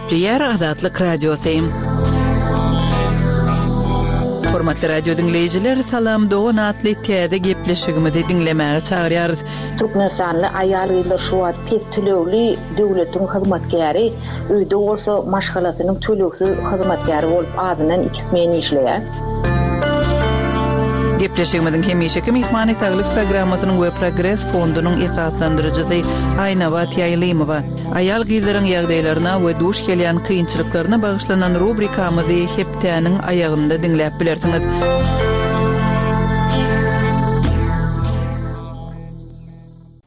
Gepleýär Azatlyk Radiosy. Hormatly radio diňleýjiler, Salam dogan atly täze gepleşigimizi diňlemäge çagyrýarys. Türkmenistanly aýal-gyzlar şu wagt pes tölegli döwletiň hyzmatkäri, öýde bolsa maşgalasynyň tölegsiz hyzmatkäri bolup azyndan iki smen işleýär. Gepleşigimiziň hemişeki myhmany Saglyk programmasynyň we Progres fondunyň esaslandyryjysy Aýnabat Ýaýlymowa. Aýal-gyzlaryň ýagdaýlaryna we duş gelýän kynçylyklaryna bagyşlanan rubrikamyzy hepdäniň aýagynda diňläp bilersiňiz.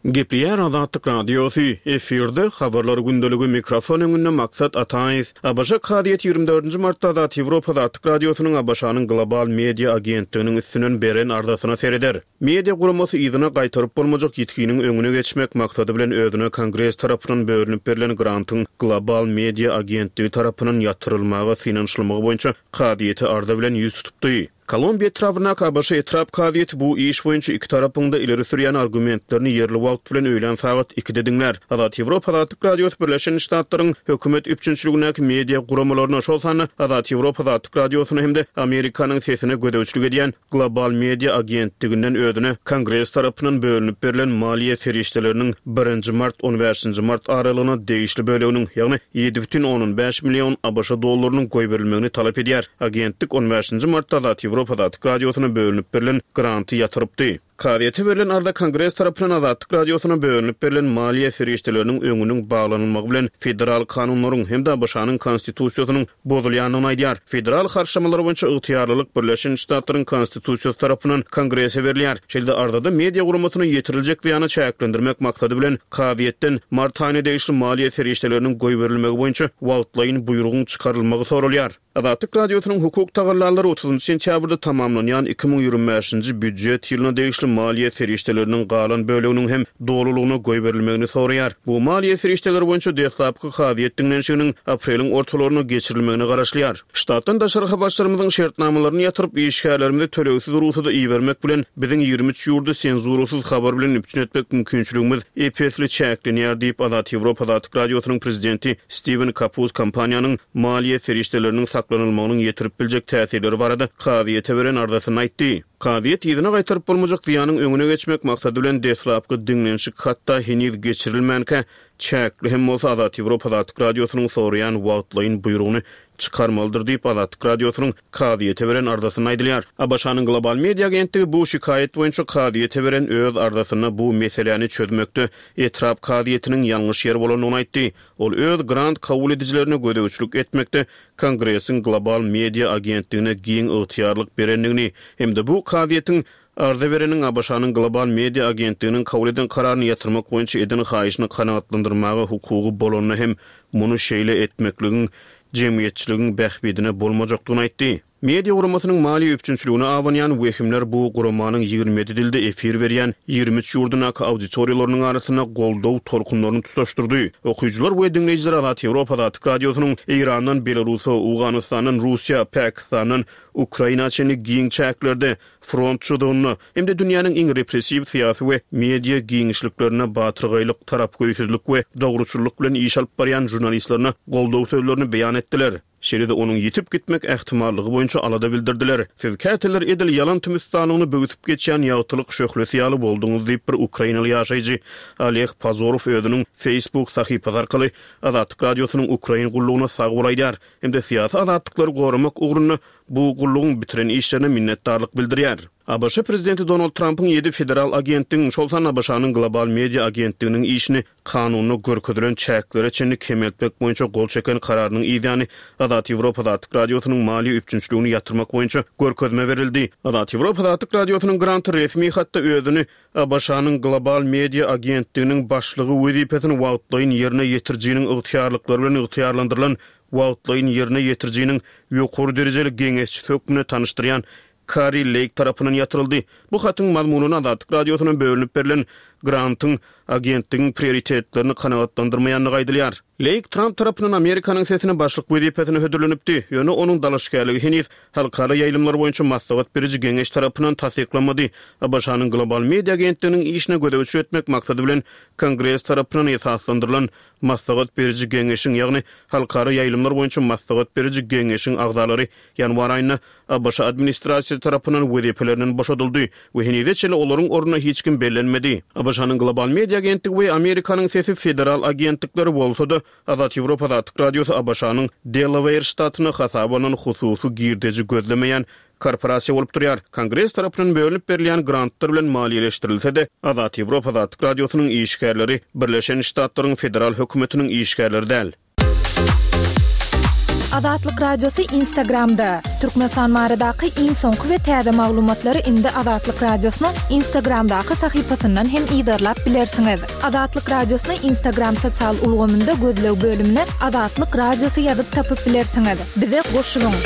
Gepleýär Azatlyk Radiosy, efirde Habarlar gündeligi, mikrofon öňünde Maksat Ataýew. ABŞ kazyýeti 24 nji martda Azat Ýewropa Azatlyk Radiosynyň ABŞ-nyň Global Media agentliginiň üstünden beren arzasyna sereder. Media guramasy yzyna gaýtaryp bolmajak ýitginiň öňüne geçmek maksady bilen özüne Kongres tarapyndan bölünip berlen grantyň Global Media agentligi tarapyndan ýatyrylmaga synanyşylmagy boýunça kazyýete arza bilen ýüz tutupdy. Kolumbiýa etrabyndaky ABŞ etrap kazyýeti bu iş boýunça iki tarapyň-da ileri sürýän argumentlerini ýerli wagt bilen öýlän sagat ikide diňlär. Azat Ýewropa Azatlyk Radiosy Birleşen Ştatlaryň hökümet üpjünçiligindäki media guramalaryna, şol sanda Azat Ýewropa Azatlyk Radiosyna hem-de Amerikanyň Sesine gözegçilik edýän Global Media agentliginden özüne Kongres tarapyndan bölünip berlen maliýe serişdeleriniň birinji mart-on bäşinji mart aralygyna degişli böleginiň, ýagny 7,5 million ABŞ dollarynyň goýberilmegini talap edýär. Agentlik on bäşinji martda Azat Ýewropa Azatlyk Radiosyna bölünip berlen granty ýatyrypdy. Kazyýete berlen arza Kongres tarapyndan Azatlyk Radiosyna bölünip berlen maliýe serişdeleriniň öňüniň baglanylmagy bilen federal kanunlaryň hem-de ABŞ-nyň Konstitusiýasynyň bozulýandygyny aýdýar. Federal harçlamalar boýunça ygtyýarlylyk Birleşen Ştatlaryň Konstitusiýasy tarapyndan Kongrese berilýär. Şeýle-de arzada media guramasyna ýetiriljek zyýany çäklendirmek maksady bilen kazyýetden mart aýyna degişli maliýe serişdeleriniň goýberilmegi boýunça wagtlaýyn buýrugyň çykarylmagy soralýar. Azatlyk Radiosynyň hukuk tagallalary otuzynjy sentýabrda tamamlanýan 2025-nji býujet ýylyna degişli maliýe serişdeleriniň galan böleginiň hem dolulygyna goýberilmegini soraýar. Bu maliýe serişdeleri boýunça deslapky kazyýet diňlenişiginiň apreliň ortalarynda geçirilmegine garaşylýar. Ştatdan daşary habarçylarymyzyň şertnamalaryny ýatyryp, işgärlerimizi tölegsiz rugsada ibermek bilen, biziň 23 ýurdy senzurasyz habar bilen üpjün etmek mümkinçiligimiz ep-esli çäklenýär diýip, Azat Ýewropa Azatlyk Radiosynyň prezidenti Stiwen Kapus kompaniýanyň maliýe serişdeleriniň saklanylmagynyň ýetirip biljek täsirleri barada kazyýete beren arzasynda aýtdy. Kazyýet yzyna gaýtaryp bolmajak zyýanyň öňüne geçmek maksady bilen deslapky diňlenişik hatda heniz geçirilmänkä, çäkli hem bolsa Azat Ýewropa Azatlyk Radiosynyň soraýan wagtlaýyn buýrugyny çykarmalydyr diýip, Azatlyk Radiosynyň kazyýete beren arzasynda aýdylýar. ABŞ-nyň Global Media agentligi bu şikaýat boýunça kazyýete beren öz arzasynda bu meseläni çözmekde etrap kazyýetiniň ýalňyş ýer bolandygyny aýtdy. Ol öz grant kabul edijilerine gözegçilik etmekde Kongresiň Global Media agentligine giň ygtyýarlyk berendigini hem-de bu kazyýetiň arza bereniň ABŞ-nyň Global Media agentliginiň kabul eden kararyny ýatyrmak boýunça eden haýyşyny kanagatlandyrmaga hukugy bolanda hem muny şeýle etmekligiň jemgyýetçiligiň bähbidine bolmajakdygyny aýtdy. Media guramasynyň maliýe üpjünçiligine abanýan wehimler bu guramanyň 27 dilde efir berýän 23 ýurdundaky auditoriýalarynyň arasynda goldaw tolkunlaryny tutaşdyrdy. Okyjylar we diňleýjiler Azat Ýewropa Azatlyk Radiosynyň Eýrandan Belarusa, Owganystandan Russiýa, Pakistandan Ukraina çenli giň çäklerde front çyzygynda hem-de dünýäniň iň repressiw syýasy we media giňişliklerinde batyrgaýlyk, tarapgöýsüzlik we dogruçyllyk bilen iş alyp barýan žurnalistlerine goldaw sözlerini beýan etdiler. Şeýle-de onuň ýitip gitmek ähtimallygy boýunça alada bildirdiler. Siz käteler edil ýalan tümüstanlygyny böwsüp geçýän ýagtylyk şöhlesi ýaly bolduňyz diýip bir ukrainaly ýaşaýjy Oleg Pazorow özüniň Facebook sahypasy arkaly Azatlyk Radiosynyň Ukrain gullugyna sag bol aýdýar hem-de syýasy azatlyklary goramak ugrunda bu gullugyň bitiren işlerine minnetdarlyk bildirýär. ABŞ prezidenti Donald Trampyň ýedi federal agentligiň, şol sanda ABŞ-nyň Global Media agentliginiň işini kanunda görkezilen çäklere çenli kemeltmek boýunça gol çeken kararynyň yzýany Azat Ýewropa Azatlyk Radiosynyň maliýe üpjünçiligini ýatyrmak boýunça görkezme berildi. Azat Ýewropa Azatlyk Radiosynyň granty resmi hatda özüni ABŞ-nyň Global Media agentliginiň başlygy wezipesini wagtlaýyn ýerine ýetirijiniň ygtyýarlyklary bilen ygtyýarlandyrylan wagtlaýyn ýerine ýetirijiniň ýokary derejeli geňeşçisi hökmünde tanyşdyrýan Kari Leýk tarapyndan ýatyryldy. Bu hatyň mazmunyna Azatlyk Radiosyna bölünip berlen grantyň agentligiň prioritetlerini kanagatlandyrmaýandygy aýdylýar. Leýk Tramp tarapyndan Amerikanyň Sesine başlyk wezipesine hödürlenipdi, ýöne onuň dalaşgärligi heniz Halkara ýaýlymlar boýunça maslahat beriji geňeş tarapyndan tassyklanmady. ABŞ-nyň Global Media agentliginiň işine gözegçilik etmek maksady bilen Kongres tarapyndan esaslandyrylan. Maslahat beriji geňeşiň, ýagny Halkara ýaýlymlar boýunça maslahat beriji geňeşiň agzalary ýanwar aýynda ABŞ administrasiýasy tarapyndan wezipelerinden boşadyldy we henize çenli olaryň ornuna hiç kim bellenmedi. ABŞ-nyň Global Media agentligi we Amerikanyň Sesi federal agentlikleri bolsa-da, Azat Ýewropa Azatlyk Radiosy ABŞ-nyň Delaweýr ştatynda hasaba alnan hususy girdeji gözlemeýän korporasiýa bolup durýar. Kongres tarapyndan bölünip berilýän grantlar bilen maliýeleşdirilse-de, Azat Ýewropa Azatlyk Radiosynyň işgärleri Birleşen Ştatlaryň federal hökümetiniň işgärleri däl. Azatlyk Radiosy Instagramda, Türkmenistan baradaky iň soňky we täze maglumatlary indi Azatlyk Radiosynyň Instagramdaky sahypasyndan hem yzarlap bilersiňiz. Azatlyk Radiosyny Instagram sosial ulgamynda gözleg bölümine Azatlyk Radiosy ýazyp tapyp bilersiňiz. Bize goşulyň!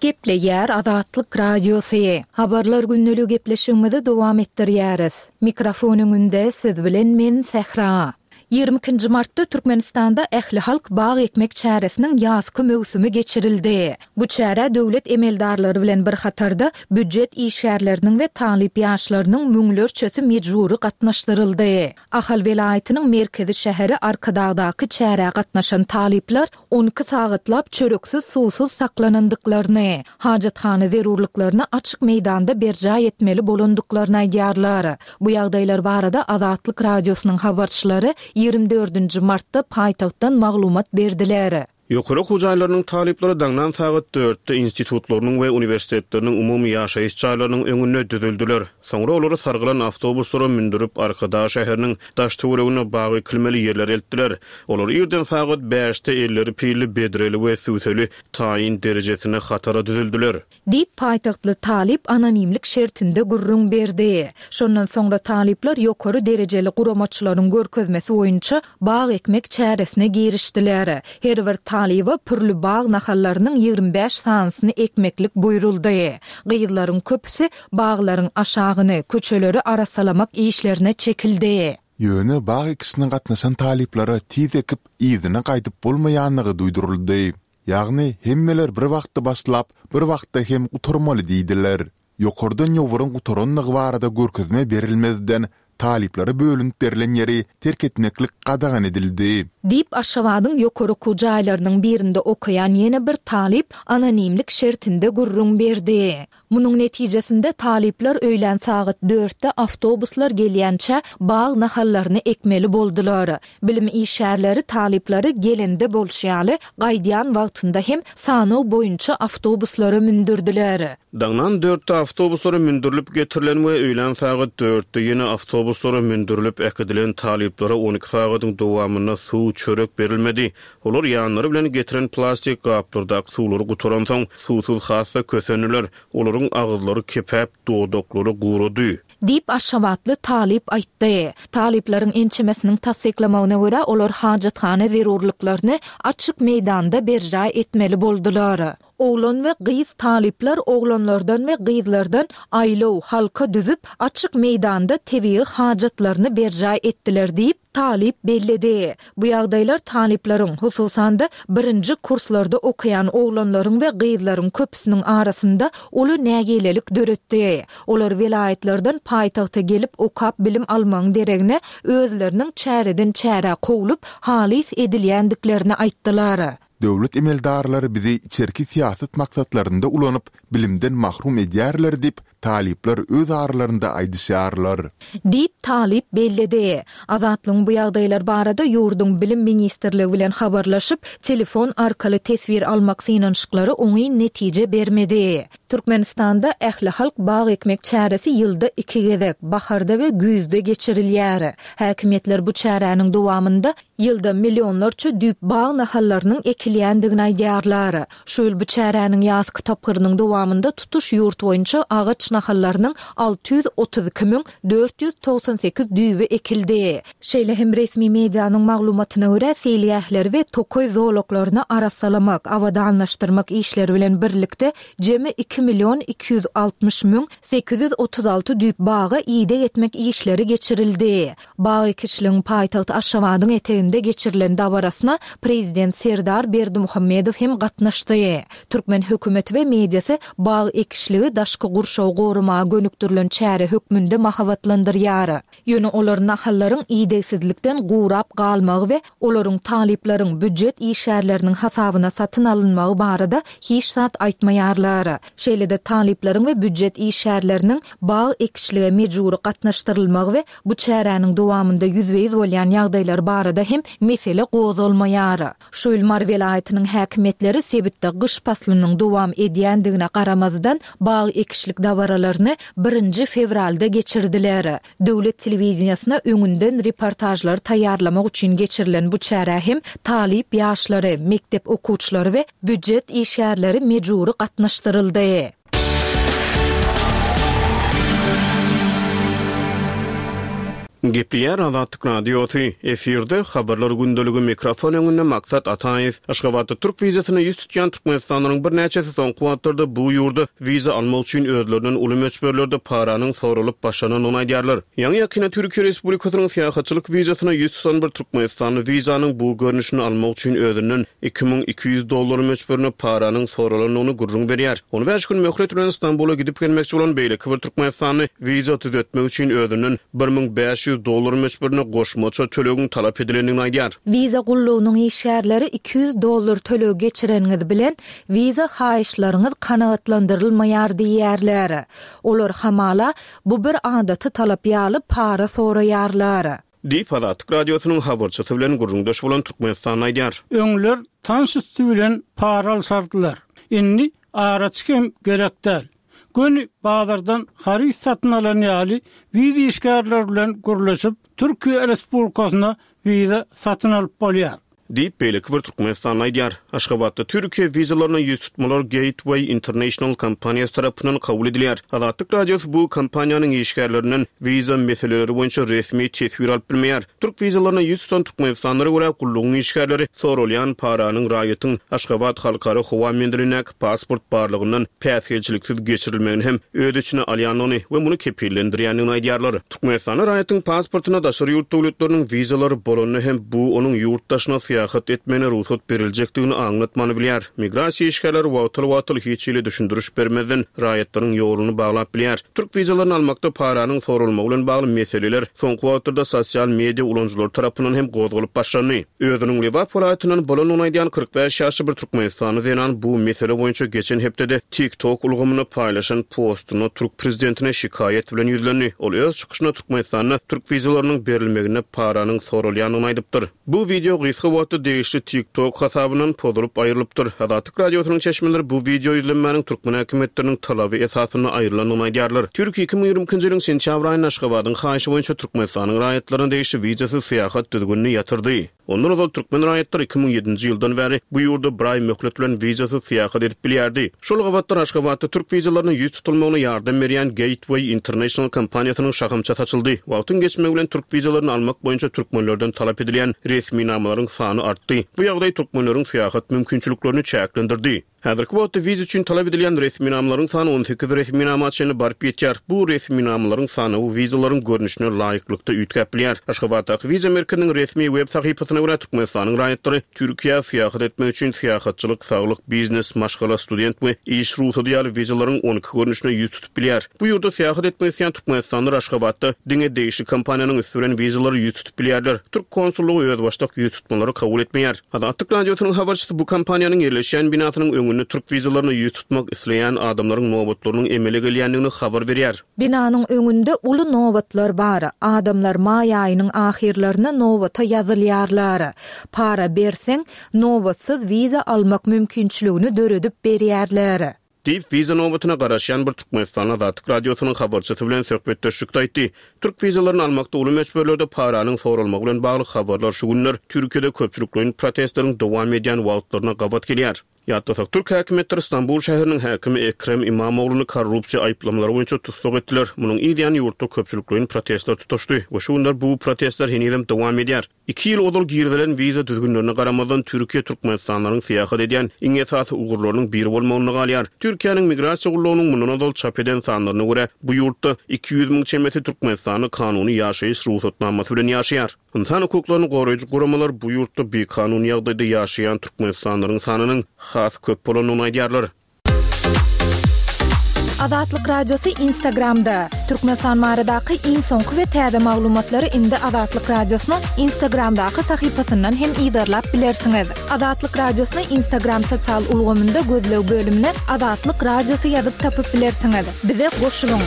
Gepleýär Azatlyk Radiosy. Habarlar gündeligi gepleşigimizi dowam etdirýäris. Mikrofon öňünde siz bilen men Sähra. 22-nji martda Türkmenistanda ählihalk bag ekmek çäresiniň ýazky möwsümi geçirildi. Bu çärä döwlet emeldarlary bilen bir hatarda býujet işgärleriniň we talyp ýaşlarynyň müňlerçesi mejbury gatnaşdyryldy. Ahal welaýatynyň merkezi şäheri Arkadagdaky çärä gatnaşan talyplar 12 sagatlap çöreksiz-suwsuz saklanandyklaryny, hajathana zerurlyklaryny açyk meýdanda berjaý etmeli bolandyklaryny aýdýarlar. Bu ýagdaýlar barada Azatlyk Radiosynyň habarçylary 24 nji martda paýtagtdan maglumat berdiler. Ýokary okuw jaýlarynyň talyplary daňdan sagat dörtde institutlarynyň we uniwersitetleriniň umumy ýaşaýyş jaýlarynyň öňünde düzüldiler. Soňra olary sargylan awtobuslara mündürip, Arkadag şäheriniň daş-töwereginde bag ekilmeli ýerlere eltdiler. Olar irden sagat bäşde elleri pilli, bedreli we sübseli taýyn derejesinde hatara düzüldiler. Diýip, paýtagtly talyp anonimlik şertinde gürrüň berdi. Şondan soňra talyplar ýokary derejeli guramaçylaryň görkezmesi boýunça bag ekmek çäresine girişdiler. Her bir talyba pürli bag nahallarynyň 25 sanysyny ekmeklik buýruldy. Gyzlaryň köpüsi baglaryň aşagyny, köçeleri arassalamak işlerine çekildi. Ýöne bag ekişine gatnaşan talyplara tiz ekip, yzyna gaýdyp bolmaýanlygy duýduryldy. Ýagny, hemmeler bir wagtda başlap, bir wagtda hem gutarmaly diýdiler. Ýokardan ýowuryň gutaranlygy barada görkezme berilmezden, talyplara bölünip berlen ýeri terk etmeklik gadagan edildi. Diýip, Aşgabadyň ýokary okuw jaýlarynyň birinde okaýan ýene bir talyp anonimlik şertinde gürrüň berdi. Munuň netijesinde talyplar öýlän sagat dörtde awtobuslar gelýänçä bag nahallaryny ekmeli boldular. Bilim işgärleri talyplary gelende bolşy ýaly, gaýdýan wagtynda hem sanaw boýunça awtobuslara mündürdiler. Daňdan dörtde awtobuslara mündürilip getirilen we öýlän sagat dörtde ýene awtobuslara mündürilip äkidilen talyplara 12 sagadyň dowamynda suw, çörek berilmedi. Olar ýanlary bilen getiren plastik gaplardaky suwlary gutaransoň, suwsuz has-da kösendiler. Olaryň agyzlary kepäp, dodaklary gurady. Diýip, aşgabatly talyp aýtdy. Talyplaryň ençemesiniň tassyklamagyna görä, olar hajathana zerurlyklaryny açyk meýdanda berjaý etmeli boldular. Oglan we gyz talyplar oglanlardan we gyzlardan aýlaw, halka düzüp, açyk meýdanda tebigy hajatlaryny berjaý etdiler diýip, talyp belledi. Bu ýagdaýlar talyplaryň, hususan-da, birinji kurslarda okaýan oglanlaryň we gyzlaryň köpüsiniň arasynda uly nägilelik döretdi. Olar welaýatlardan paýtagta gelip okap bilim almagyň deregine, özleriniň çäreden-çärä kowlup, halys edilýändiklerini aýtdylar. Döwlet emeldarlary bizi içerki syýasat maksatlarynda ulanyp, bilimden mahrum edýärler diýip, talyplar öz aralarynda aýdyşýarlar. Diýip, talyp belledi. Azatlygyň bu ýagdaýlar barada ýurduň Bilim ministrligi bilen habarlaşyp, telefon arkaly teswir almak synanyşyklary oňyn netije bermedi. Türkmenistanda ählihalk bag ekmek çäresi ýylda iki gezek, baharda we güýzde geçirilýär. Häkimiýetler bu çäräniň dowamynda Ýylda millionlarça düýp bag nahallarynyň ekilýändigini aýdýarlar. Şu ýyl bu çäräniň ýazky tapgyrynyň dowamynda tutuş ýurt boýunça agaç nahallarynyň 632 498 düýbi ekildi. Şeýle hem resmi medianyň maglumatyna görä, seýilgähleri we tokaý zolaklaryny arassalamak, abadanlaşdyrmak işleri bilen birlikde jemi 2 260 836 düýp baga ideg etmek işleri geçirildi. Bag ekişligiň paýtagt Aşgabadyň eteginde. merkezinde geçirilen dabarasyna Prezident Serdar Berdimuhamedow hem gatnaşdy. Türkmen hökümeti we mediasy bag ekişligi daşky gurşawy goramaga gönükdirilen çäre hökmünde mahabatlandyrýar. Ýöne olar nahallaryň idegsizlikden gurap galmagy we olaryň talyplaryň, býujet işgärleriniň hasabyna satyn alynmagy barada hiç zat aýtmaýarlar. Şeýle-de talyplaryň we býujet işgärleriniň bag ekişlige mejbury gatnaşdyrylmagy we bu çäräniň dowamynda ýüzbe-ýüz bolýan ýagdaýlar barada hem mesele gozgalmaýar. Şu ýyl Mary welaýatynyň häkimiýetleri sebitde gyş paslynyň dowam edýändigine garamazdan, bag ekişlik dabaralaryny birinji fewralda geçirdiler. Döwlet telewideniýesine öňünden reportažlary taýýarlamak üçin geçirilen bu çärä hem talyp ýaşlary, mekdep okuwçylary we býujet işgärleri mejbury gatnaşdyryldy. Gepleýär Azatlyk Radiosy, efirde Habarlar gündeligi mikrofon öňünde Maksat Ataýew. Aşgabatda türk wizasyna ýüz tutýan türkmenistanlylaryň birnäçesi soňky wagtlarda bu ýurda wiza almak üçin özlerinden uly möçberlerde paranyň soralyp başlanandygyny aýdýarlar. Ýaňy-ýakynda Türkiýe Respublikasynyň syýahatçylyk wizasyna ýüz tutan bir türkmenistanly wizanyň bu görnüşini almak üçin özünden 2200 dollar möçberinde paranyň soralandygyny gürrüň berýär. On bäş gün möhlet bilen Stambula gidip gelmekçi bolan beýleki bir türkmenistanly wiza düzetmek üçin özünden 1500 dollar möçberinde goşmaça tölegiň talap edilendigini aýdýar. Wiza gullugynyň işgärleri 200 dollar töleg geçireniňiz bilen wiza haýyşlaryňyz kanagatlandyrylmaýar diýýärler. Olar hamala, bu bir adaty talap ýaly para soraýarlar. Diýip, Azatlyk Radiosynyň habarçysy bilen gürrüňdeş bolan türkmenistanly aýdýar. Öňler tanyş üsti bilen para alşardylar. Indi araçy hem gerek däl. Göni bazardan haryt satyn alan ýaly wiza işgärleri bilen gürleşip, Türkiýe Respublikasyna wiza satyn alyp bolýar. Diýip, beýleki bir türkmenistanly aýdýar. Aşgabatda Türkiýe wizalaryna ýüz tutmalar Gateway International kompaniýasy tarapyndan kabul edilýär. Azatlyk Radiosy bu kompaniýanyň işgärlerinden wiza meseleleri boýunça resmi teswir alyp bilmeýär. Türk wizalaryna ýüz tutan türkmenistanlylara görä, gullugyň işgärleri soralýan paranyň raýatyň Aşgabat halkara howa menzilindäki pasport barlagyndan päsgelçiliksiz geçirilmegini hem öz içine alýandygyny we muny kepillendirýändigini aýdýarlar. Türkmenistanda raýatyň pasportynda daşary ýurt döwletleriniň wizalary bolanda hem bu onuň ýurt daşyna syýahat etmegine rugsat beriljekdigini aňlatmany bilýär. Migrasiýa işgärleri wagtal-wagtal hiç hili düşündiriş bermezden raýatlaryň ýoluny baglap bilýär. Türk wizalaryny almakda paranyň soralmagy bilen bagly meseleler soňky wagtlarda sosial media ulanyjylary tarapyndan hem gozgalyp başlandy. Özüniň Lebap welaýatyndan bolandygyny aýdýan 45 ýaşly bir türkmenistanly zenan bu mesele boýunça geçen hepdede TikTok ulgamynda paýlaşan postunda türk prezidentine şikaýat bilen ýüzlendi. Ol öz çykyşynda Türkmenistanda türk wizalarynyň berilmeginde paranyň soralýandygyny aýdypdyr. Bu wideo gysga wagtda degişli TikTok hasabyndan pozulyp aýrylypdyr. Azatlyk Radiosynyň çeşmeleri bu wideo ýüzlenmäniň türkmen häkimiýetleriniň talaby esasynda aýrylandygyny aýdýarlar. Türkiýe 2022-nji ýylyň sentýabr aýynda Aşgabadyň haýyşy boýunça Türkmenistanyň raýatlaryna degişli wizasyz syýahat düzgünini ýatyrdy. Ondan ozal türkmen raýatlary 2007-nji ýyldan bäri bu ýurda bir aý möhlet bilen wizasyz syýahat edip bilýärdi. Şol gabatlar Aşgabatda türk wizalaryna ýüz tutulmagyna ýardam berýän Gateway International kompaniýasynyň şahamçasy açyldy. Wagtyň geçmegi bilen türk wizalaryny almak boýunça türkmenlerden talap edilýän resminamalaryň sany artdy. Bu ýagdaý türkmenleriň syýahat mümkinçiliklerini çäklendirdi. Häzirki wagtda wiza üçin talap edilýän resminamalaryň sany 18 resminama çenli baryp ýetýär. Bu resminamalaryň sanawy wizalaryň görnüşine laýyklykda üýtgäp bilýär. Aşgabatdaky wiza merkeziniň resmi web sahypasyna görä, Türkmenistanyň raýatlary Türkiýä syýahat etmek üçin syýahatçylyk, saglyk, biznes, maşgala, student we iş rugsady ýaly wizalaryň 12 görnüşine ýüz tutup bilýär. Bu ýurda syýahat etmek isleýän türkmenistanlylar Aşgabatda diňe degişli kompaniýanyň üsti bilen wizalara ýüz tutup bilýärler. Türk konsullygy özbaşdak ýüz tutmalary kabul etmeýär. Azatlyk Radiosynyň habarçysy bu kompaniýanyň ýerleşýän binasynyň öňünde türk wizalaryna ýüz tutmak isleýän adamlaryň nobatlarynyň emele gelýändigini habar berýär. Binanyň öňünde uly nobatlar bar. Adamlar maý aýynyň ahyrlaryna nobata ýazylýarlar. Para berseň, nobatsyz wiza almak mümkinçiligini döredip berýärler. Diýip, wiza nobatyna garaşýan bir türkmenistanly Azatlyk Radiosynyň habarçysy bilen söhbetdeşlikde aýtdy. Türk wizalaryny almakda uly möçberlerde paranyň soralmagy bilen bagly habarlar şu günler Türkiýede köpçülikleýin protestleriň dowam edýän wagtlaryna gabat gelýär. Ýatlasak, türk häkimiýetleri Stambul şäheriniň häkimi Ekrem Imamogluny korrupsiýa aýyplamalary boýunça tussag etdiler. Munuň yz ýany ýurtda köpçülikleýin protestler tutaşdy we şu günler bu protestler henizem dowam edýär. Iki ýyl ozal girizilen wiza düzgünlerine garamazdan, Türkiýe türkmenistanlylaryň syýahat edýän iň esasy ugurlarynyň biri bolmagynda galýar. Türkiýäniň Migrasiýa gullugynyň mundan ozal çap eden sanlaryna görä, bu ýurtda 200 müň çemesi türkmenistanly kanuny ýaşaýyş rugsatnamasy bilen ýaşaýar. Ynsan hukuklaryny goraýjy guramalar bu ýurtda bikanun ýagdaýda ýaşaýan türkmenistanlylaryň sanynyň has köp bolandygyny aýdýarlar. Azatlyk Radiosy Instagramda, Türkmenistan baradaky iň soňky we täze maglumatlary indi Azatlyk Radiosynyň Instagramdaky sahypasyndan hem yzarlap bilersiňiz. Azatlyk Radiosyny Instagram sosial ulgamynda gözleg bölümine Azatlyk Radiosy ýazyp tapyp bilersiňiz. Bize goşulyň!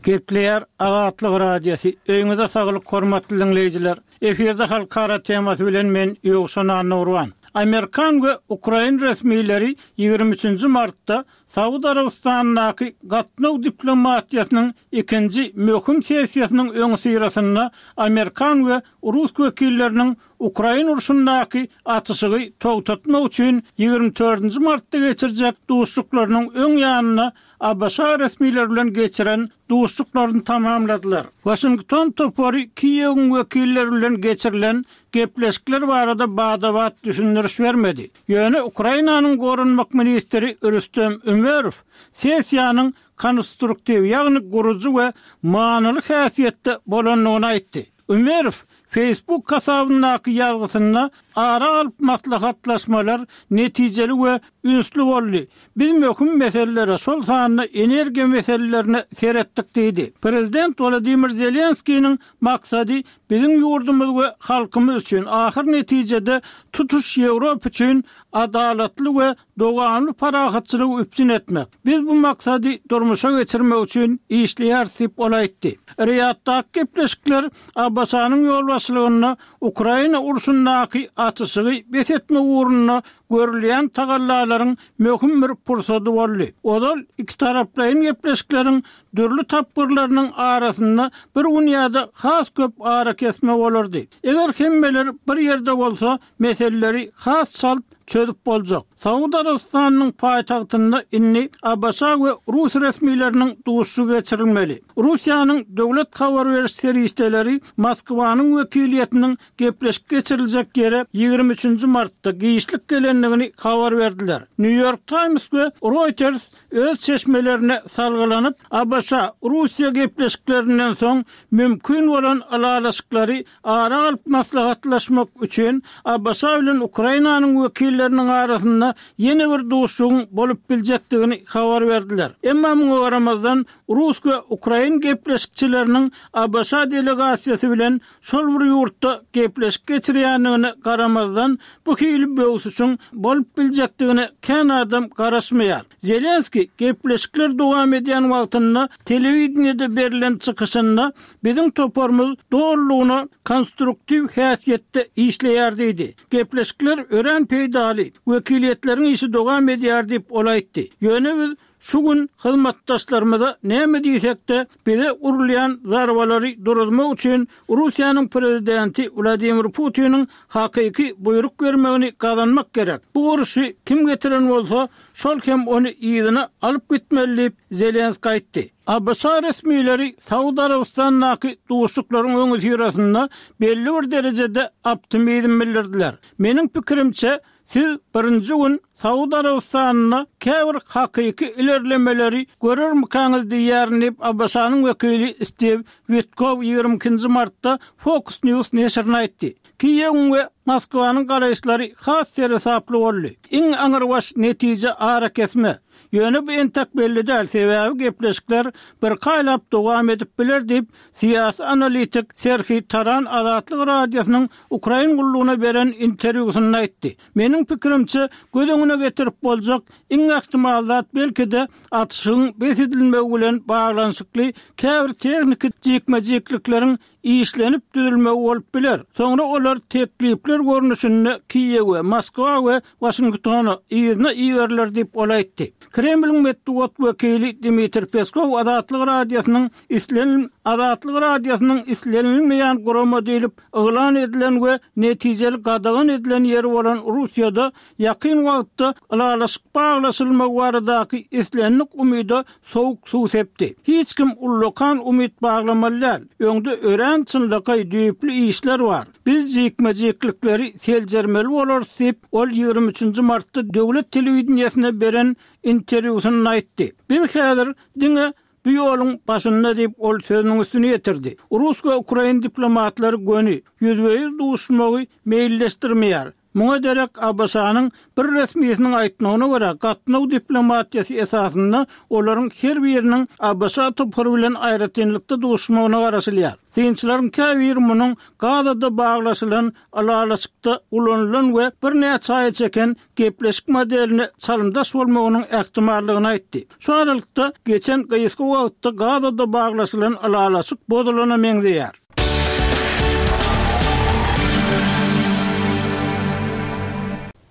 Gepleýär Azatlyk Radiosy, Öýüňize saglyk hormatly diňleýjiler! Efirde halkara temasy bilen men Ýowşan Annagurban. Amerikan we ukrain resmileri 23-nji martda Saud Arabystanyndaky gatnaw diplomatiýasynyň ikinji möhüm sessiýasynyň öňüsyrasynda amerikan we rus wekilleriniň Ukrain urşundaky atyşygy togtatmak üçin 24-nji martda geçirjek duşuşyklarynyň öň ýanynda ABŞ resmileri bilen geçiren duşuşyklaryny tamamladylar. Waşington topary Kiýewiň wekilleri bilen geçirilen gepleşikler barada bada-bat düşündiriş bermedi. Ýöne Ukrainanyň goranmak ministri Rüstem Ümerow sessiýanyň konstruktiw, ýagny gurujy we manyly häsiýetde bolandygyny aýtdy. Ümerow Facebook hasabyndaky ýazgysynda ara alyp maslahatlaşmalar netijeli we ünsli boldy. Biz möhüm meselelere, şol sanda energiýa meselelerine seretdik diýdi. Prezident Wladimir Zelenskiniň maksady biziň ýurdumyz we halkymyz üçin, ahyr netijede tutuş Ýewropa üçin adalatly we dowamly parahatçylygy üpjün etmek. Biz bu maksady durmuşa geçirmek üçin işleýäris diýip, ol aýtdy. Riýaddaky gepleşikler ABŞ-nyň ýolbaşçylygynda Ukraina urşundaky atyşygy bes etmek ugrunda görülýän tagallalaryň möhüm bir pursady boldy. Ozal ikitaraplaýyn gepleşikleriň dürli tapgyrlarynyň arasynda bir gün ýa-da has köp arakesme bolardy. Eger hemmeler bir ýerde bolsa, meseleleri has çalt çözüp boljak. Saud Arabystanynyň paýtagtynda indi ABŞ we rus resmileriniň duşuşygy geçirilmeli. Russiýanyň döwlet habar beriş serişdeleri Moskwanyň wekiliýetiniň gepleşik geçiriljek ýere 23 nji martda giçlik gelendigini habar berdiler. New York Times we Reuters öz çeşmelerine salgylanyp, ABŞ, Russiýa gepleşiklerinden soň mümkin bolan ylalaşyklary ara alyp maslahatlaşmak üçin ABŞ bilen Ukrainanyň wekilleriniň arasynda ýene bir duşuşygyň bolup biljekdigini habar berdiler. Emma muňa garamazdan, rus we ukrain gepleşikçileriniň ABŞ delegasiýasy bilen şol bir ýurtda gepleşik geçirýändigine garamazdan, bu hili böwsüşiň bolup biljekdigine kän adam garaşmaýar. Zelenskiý gepleşikler dowam edýän wagtynda telewideniýede berlen çykyşynda Biziň toparymyz dolulygyna konstruktiw häsiýetde işleýär diýdi. Gepleşikler örän peýdaly, wekiliýetleriň işi dowam edýär diýip, ol aýtdy. Ýöne biz şu gün hyzmatdaşlarymyza näme diýsek-de, bize urulýan zarbalary duruzmak üçin Russiýanyň prezidenti Wladimir Putiniň hakyky buýruk bermegini gazanmak gerek. Bu urşy kim getiren bolsa, şol hem ony yzyna alyp gitmeli diýip, Zelenskiý aýtdy. ABŞ resmileri Saud Arabystanyndaky duşuşyklaryň öňüsyrasynda belli bir derejede optimizm bildirdiler. Meniň pikirimçe, siz birinji gün Saud Arabystanynda käbir hakyky ilerlemeleri görermikaňyz diýýärin diýip, ABŞ-nyň wekili Stiw Witkow 22 nji martda Fox News neşirine aýtdy. Kiýewiň we Moskwanyň garaýyşlary has seresaply boldy. Iň aňrybaş netije arakesme. Ýöne bu entek belli däl, sebäbi gepleşikler birki aýlap dowam edip biler diýip, syýasy analitik Serhiý Taran Azatlyk Radiosynyň Ukrain gullugyna beren interwýusynda aýtdy. Meniň pikirimçe, göz öňüne getirip boljak iň ähtimal zat belki-de atyşygyň bes edilmegi bilen baglanyşykly käbir tehniki jikme-jiklikleriň işlenip düzülmegi bolup biler. Soňra olar teklipler görnüşinde Kiýewe, Moskwa we Waşingtona yzyna iberiler diýip, ol aýtdy. Kremliň metbugat wekili Dmitriý Peskow Azatlyk Radiosynyň islenil Azatlyk Radiosynyň islenilmeýän gurama diýlip yglan edilen we netijeli gadagan edilen ýeri bolan Russiýada ýakyn wagtda ylalaşyk baglaşylmagy baradaky islendik umyda sowuk suw sepdi. Hiç kim ullakan umyt baglamaly däl. Öňde örän çynlakaý, düýpli işler bar. Biz jikme-jiklikleri seljermeli bolarys diýip, ol 23 nji martda döwlet telewideniýesine beren interwýusynda aýtdy. Biz häzir diňe. bu ýoluň başynda diýip, ol sözüniň üstüni ýetirdi. Rus we ukrain diplomatlary göni, ýüzbe-ýüz duşuşmagy meýilleşdirmeýär. Muňa derek ABŞ-nyň bir resmisiniň aýtmagyna görä, gatnaw diplomatiýasy esasynda olaryň her biriniň ABŞ topary bilen aýratynlykda duşmagyna garaşylýar. Synçylaryň käbiri munuň Gazada baglaşylan ylalaşykda ulanylan we birnäçe aýa çeken gepleşik modeline çalymdaş bolmagynyň ähtimallygyny aýtdy. Şu aralykda, geçen gysga wagtda Gazada baglaşylan ylalaşyk bozulana meňzeýär.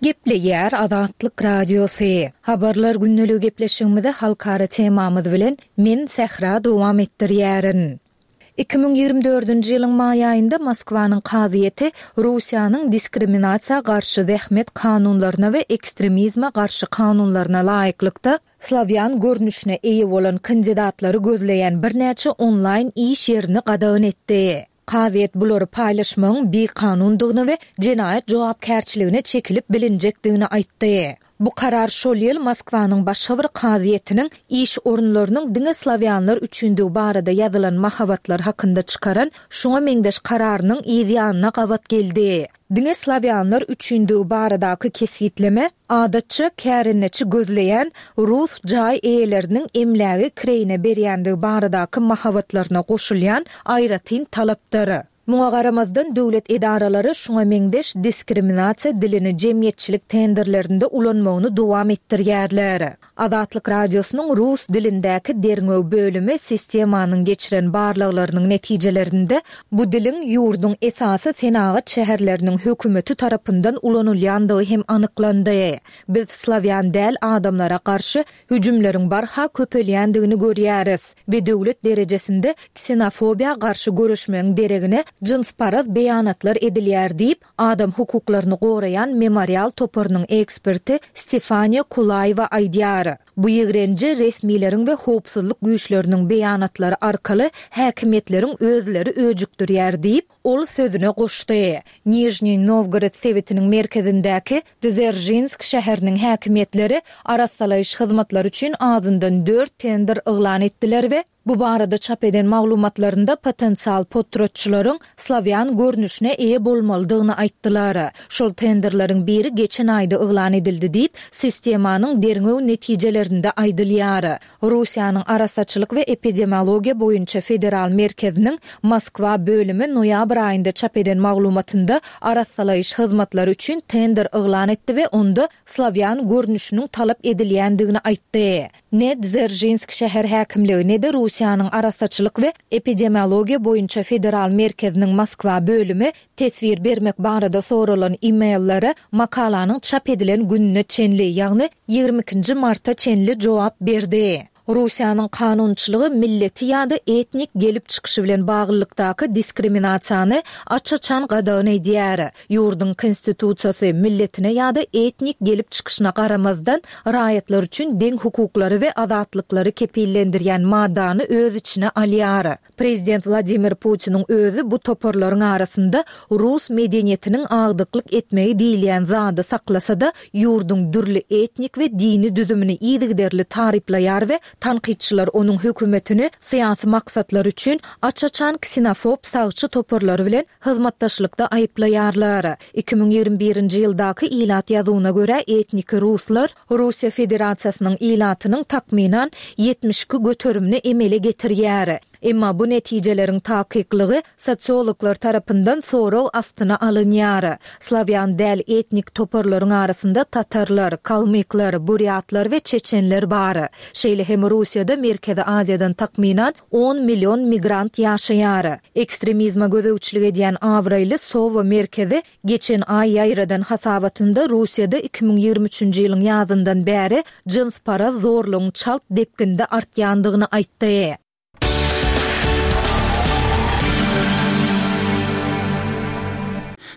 Gepleýär Azatlyk Radiosy. Habarlar gündeligi gepleşigimizi halkara temamyz bilen men Sähra dowam etdirýärin. 2024-nji ýylyň maý aýynda Moskwanyň kazyýeti Russiýanyň diskriminasiýa garşy zähmet kanunlaryna we ekstremizme garşy kanunlaryna laýyklykda, slawýan görnüşine eýe bolan kandidatlary gözleýän birnäçe onlaýn iş ýerini gadagan etdi. Kazyýet bulary paýlaşmagyň bikanundygyny we jenaýat jogapkärçiligine çekilip bilinjekdigini aýtdy. Bu karar şol ýyl Moskwanyň başga bir kazyýetiniň iş orunlarynyň diňe slawýanlar üçindigi barada ýazylan mahabatlar hakynda çykaran şuňa meňzeş kararynyň yz ýanyna gabat geldi. Diňe slawýanlar üçindigi baradaky kesgitleme, adatça, kärendeçi gözleýän rus jaý eýeleriniň emlägi kireýine berýändigi baradaky mahabatlaryna goşulýan aýratyn talapdyr. Muňa garamazdan, döwlet edaralary şuňa meňzeş diskriminasiýa dilini jemgyýetçilik tenderlerinde ulanmagyny dowam etdirýärler. Azatlyk Radiosynyň rus dilindäki derňew bölümi sistemanyň geçiren barlaglarynyň netijelerinde bu diliň ýurduň esasy senagat şäherleriniň hökümeti tarapyndan ulanylýandygy hem anyklandy. Biz slawýan däl adamlara garşy hüjümleriň barha köpelýändigini görýäris we döwlet derejesinde ksenofobiýa garşy göreşmegiň deregine jynsparaz beýanatlar edilýär diýip, adam hukuklaryny goraýan Memorial toparynyň eksperti Stefaniýa Kulaýewa aýdýar. Bu ýigrenji resmileriň we howpsuzlyk güýçleriniň beýanatlary arkaly häkimiýetleriň özleri öjükdirýär diýip, ol sözüne goşdy. Nižniý Nowgorod sebitiniň merkezindäki Dzeržinsk şäheriniň häkimiýetleri arassalaýyş hyzmatlary üçin azyndan dört tender yglan etdiler we bu barada çap eden maglumatlarynda potensial potratçylaryň slawýan görnüşine eýe bolmalydygyny aýtdylar. Şol tenderleriň biri geçen aýda yglan edildi diýip, sistemanyň derňew netijelerinde aýdylýar. Russiýanyň Arassaçylyk we epidemiologiýa boýunça federal merkeziniň Moskwa bölümi noýabr aýynda çap eden maglumatynda arassalaýyş hyzmatlary üçin tender yglan etdi we onda slawýan görnüşiniň talap edilýändigini aýtdy. Ne Dzeržinsk şäher häkimligi, ne-de Russiýanyň Arassaçylyk we epidemiologiýa boýunça federal merkeziniň Moskwa bölümi Teswir bermek barada soralan e-maillere makalanyň çap edilen gününe çenli, ýagny ýigrimi ikinji marta çenli jogap berdi. Russiýanyň kanunçylygy milleti ýa-da etnik gelip çykyşy bilen baglylykdaky diskriminasiýany aç-açan gadagan edýär. Ýurduň Konstitusiýasy, milletine ýa-da etnik gelip çykyşyna garamazdan, raýatlar üçin deň hukuklary we azatlyklary kepillendirýän maddany öz içine alýar. Prezident Wladimir Putiniň özi bu toparlaryň arasynda rus medeniýetiniň agdyklyk etmegi diýilýän zady saklasa-da, ýurduň dürli etnik we dini düzümini yzygiderli taryplaýar we tankytçylar onuň hökümetini syýasy maksatlar üçin aç-açan ksenofob sagçy toparlary bilen hyzmatdaşlykda aýyplaýarlar. 2021-nji ýyldaky ilat ýazuwyna görä etniki ruslar Russiýa Federasiýasynyň ilatynyň takmynan 72 göterimini emele getirýär. Emma bu netijeleriň takyklygy sosiologlar tarapyndan sorag astyna alynýar. Slawýan däl etnik toparlaryň arasynda tatarlar, kalmyklar, burýatlar we çeçenler bar. Şeýle hem Russiýada Merkezi Aziýadan takmynan on million migrant ýaşaýar. Ekstremizme gözegçilik edýän abraýly Sowa merkezi Geçen aý ýaýradan hasabatynda Russiýada 2023-nji ýylyň ýazyndan bäri jynsparaz zorlugyň çalt depginde artýandygyny aýtdy.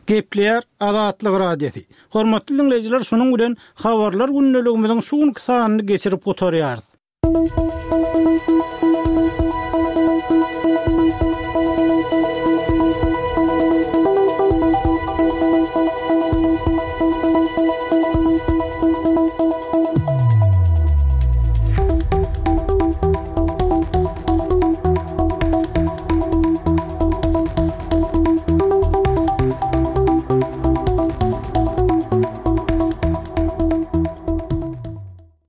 Gepleýär Azatlyk Radiosy. Hormatly diňleýjiler şunuň bilen Habarlar gündeligimiziň şu günki sanyny geçirip gutarýarys.